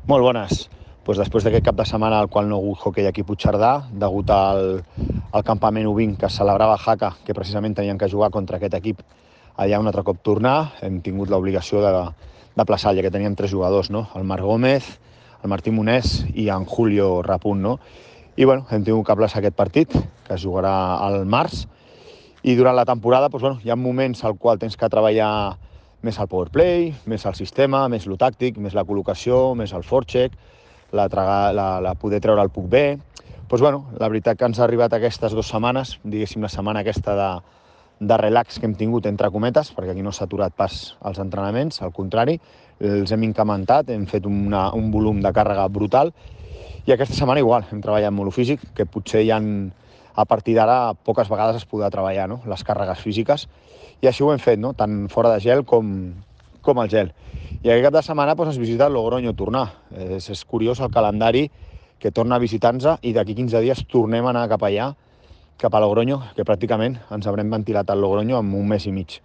Molt bones. Després d'aquest cap de setmana al qual no ha hagut hoquei aquí a Puigcerdà, degut al campament U20 que es celebrava a Jaca, que precisament tenien que jugar contra aquest equip allà un altre cop tornar, hem tingut l'obligació de plaçar, ja que teníem 3 jugadors, no? El Marc Gómez, el Martí Monés i en Julio Rapunt, no? I hem tingut que plaçar aquest partit, que es jugarà al març, i durant la temporada hi ha moments al qual tens que treballar més el powerplay, més el sistema, més el tàctic, més la col·locació, més el forecheck, la poder treure el puck bé. La veritat que ens ha arribat aquestes 2 setmanes, diguéssim la setmana aquesta de relax que hem tingut entre cometes, perquè aquí no s'ha aturat pas els entrenaments, al contrari, els hem incrementat, hem fet un volum de càrrega brutal, i aquesta setmana igual, hem treballat molt físic, que potser a partir d'ara poques vegades es podrà treballar, no? Les càrregues físiques, i així ho hem fet, no? Tant fora de gel com al gel. I aquest cap de setmana es visita el Logroño tornar. És curiós el calendari que torna a visitar-nos i d'aquí 15 dies tornem a anar cap allà, cap a Logroño, que pràcticament ens haurem ventilat al Logroño en un mes i mig.